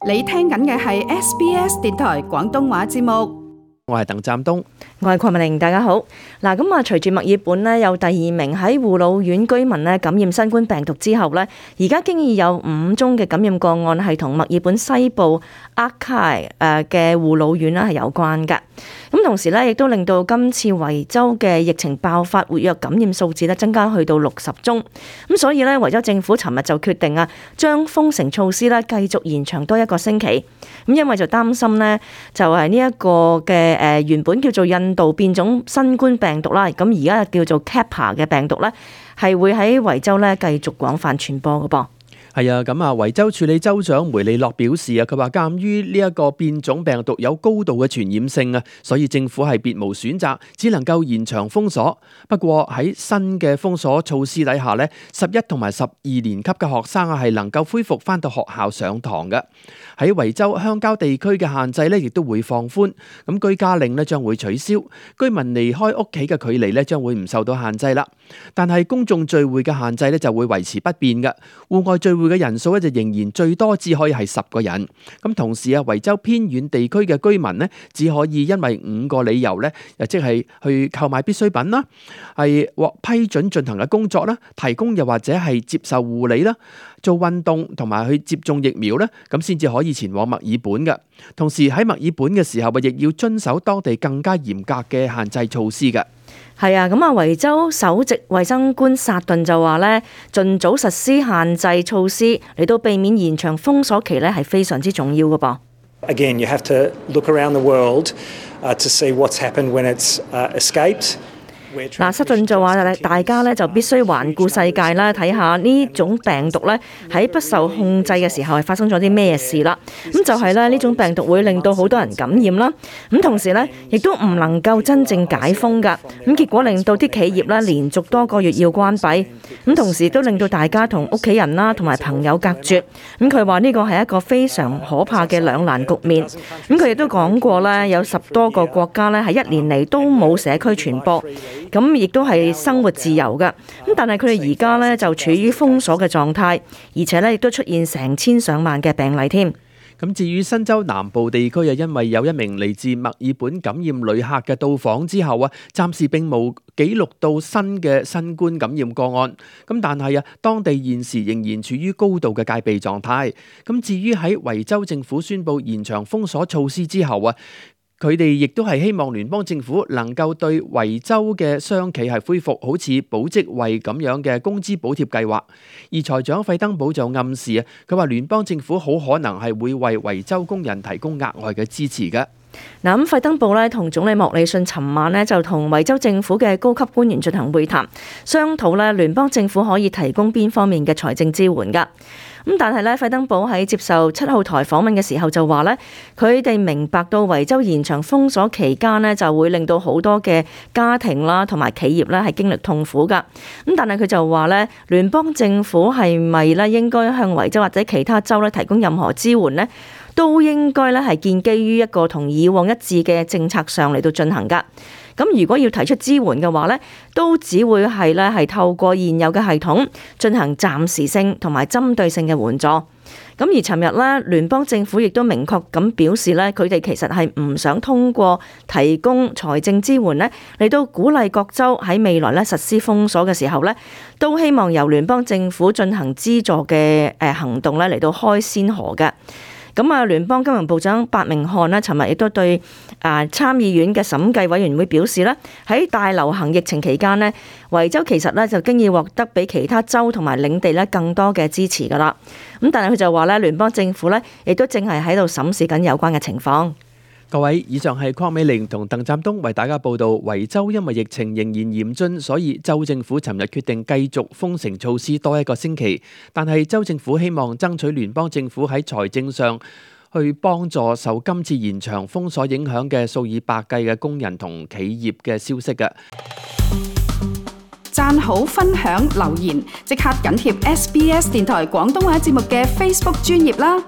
你聽緊嘅係 SBS 電台廣東話節目。我係鄧湛東，我係鄺美玲，大家好。嗱，咁隨住墨爾本呢有第二名喺護老院居民呢感染新冠病毒之後呢，而家經已有5宗嘅感染個案係同墨爾本西部 Archi 嘅護老院係有關嘅。咁同時呢，亦都令到今次維州嘅疫情爆發活躍感染數字呢增加去到60宗。咁所以呢，維州政府尋日就決定將封城措施呢繼續延長多1個星期。咁因為就擔心呢，就係呢一個嘅原本叫做印度變種新冠病毒啦，咁而家叫做 Kappa 嘅病毒呢，係會喺維州呢繼續廣泛傳播嘅噃。係啊，咁維州處理州長梅利諾表示佢話鑑於呢一個變種病毒有高度嘅傳染性所以政府係別無選擇，只能夠延長封鎖。不過喺新嘅封鎖措施底下呢，11同埋12年級嘅學生係能夠恢復返到學校上堂嘅。喺維州鄉郊地區嘅限制呢亦都會放寬，咁居家令呢將會取消，居民離開屋企嘅距離呢將會唔受到限制啦。但係公眾聚會嘅限制呢就會維持不變嘅，戶外聚會嘅人數咧就仍然最多只可以係10個人。咁同時維州偏遠地區嘅居民呢，只可以因為5個理由呢，即係去購買必需品啦，係獲批准進行嘅工作啦，提供又或者係接受護理啦，做運動同埋去接種疫苗呢，咁先至可以前往墨爾本嘅。同時喺墨爾本嘅時候亦要遵守當地更加嚴格嘅限制措施嘅。係啊，咁維州首席衛生官薩頓就話呢，盡早實施限制措施嚟到避免延長封鎖期呢係非常之重要嘅噃。Again, you have to look around the world to see what's happened when it's escaped.嗱，薩頓就話大家咧就必須環顧世界啦，睇下呢種病毒咧喺不受控制嘅時候係發生咗啲咩事啦。咁就係咧呢種病毒會令到好多人感染啦。咁同時咧亦都唔能夠真正解封㗎。咁結果令到啲企業咧連續多個月要關閉。咁同時都令到大家同屋企人啦同埋朋友隔絕。咁佢話呢個係一個非常可怕嘅兩難局面。咁佢亦都講過咧，有10多個國家咧係1年嚟都冇社區傳播。咁亦都係生活自由㗎，咁但係佢哋而家呢就處於封鎖嘅狀態，而且呢亦都出現成千上萬嘅病例添。咁至於新州南部地區因為有一名嚟自墨爾本感染旅客嘅到訪之後暫時並冇記錄到新嘅新冠感染個案。咁但係當地現時仍然處於高度嘅戒備狀態。咁至於喺維州政府宣布延長封鎖措施之後佢哋亦都係希望聯邦政府能夠對維州嘅商企係恢復好似保職位咁樣嘅工資補貼計劃。而財長費登堡就暗示佢話聯邦政府好可能係會為維州工人提供額外嘅支持嘅。嗱，咁費登堡咧同總理莫里遜尋晚咧就同維州政府嘅高級官員進行會談，商討咧聯邦政府可以提供邊方面嘅財政支援㗎。咁但係咧，費登堡喺接受7號台訪問嘅時候就話咧，佢哋明白到維州延長封鎖期間呢，就會令到好多嘅家庭啦同埋企業咧係經歷痛苦㗎。咁但係佢就話咧，聯邦政府係咪咧應該向維州或者其他州咧提供任何支援呢？都應該咧係建基於一個同以往一致嘅政策上嚟到進行㗎。咁如果要提出支援嘅話呢，都只會係透過現有嘅系統進行暫時性同埋針對性嘅援助。咁而尋日呢，聯邦政府亦都明確咁表示呢，佢哋其實係唔想通過提供財政支援呢嚟到鼓勵各州喺未來呢實施封鎖嘅時候呢，都希望由聯邦政府進行資助嘅行動呢嚟到開先河嘅。咁聯邦金融部長白明漢呢，尋日亦都對參議院嘅審計委員會表示呢，喺大流行疫情期間呢，維州其實呢就經已獲得比其他州同埋領地呢更多嘅支持㗎啦。咁但係佢就話呢，聯邦政府呢亦都正係喺度審視緊有關嘅情況。各位，以上係鄺美玲同鄧湛東為大家報道，維州因為疫情仍然嚴峻，所以州政府尋日決定繼續封城措施多1個星期。但係州政府希望爭取聯邦政府喺財政上去幫助受今次延長封鎖影響嘅數以百計嘅工人同企業嘅消息嘅。讚好、分享、留言，即刻緊貼SBS 電台廣東話節目嘅 Facebook 專頁啦！